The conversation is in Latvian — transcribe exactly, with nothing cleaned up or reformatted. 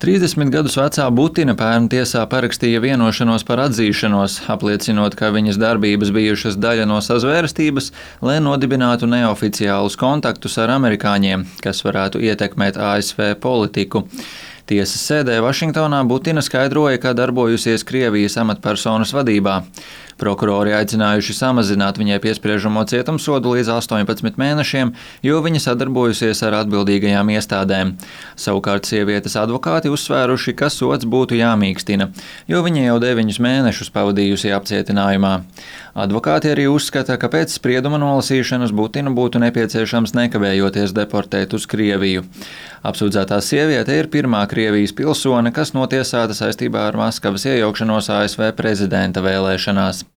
trīsdesmit gadus vecā Butina pērn tiesā parakstīja vienošanos par atzīšanos, apliecinot, ka viņas darbības bijušas daļa no sazvērstības, lai nodibinātu neoficiālus kontaktus ar amerikāņiem, kas varētu ietekmēt A S V politiku. Tiesas sēdē Vašingtonā Butina skaidroja, ka darbojusies Krievijas amatpersonas vadībā. Prokurori aicinājuši samazināt viņai piespriežamo cietumsodu līdz astoņpadsmit mēnešiem, jo viņa sadarbojusies ar atbildīgajām iestādēm. Savukārt sievietes advokāti uzsvēruši, ka sods būtu jāmīkstina, jo viņa jau deviņus mēnešus pavadījusi apcietinājumā. Advokāti arī uzskata, ka pēc sprieduma nolasīšanas Butinu būtu nepieciešams nekavējoties deportēt uz Krieviju. Apsūdzētā sieviete ir pirmā Krievijas pilsone, kas notiesāta saistībā ar Maskavas iejaukšanos A S V prezidenta vēlēšanās.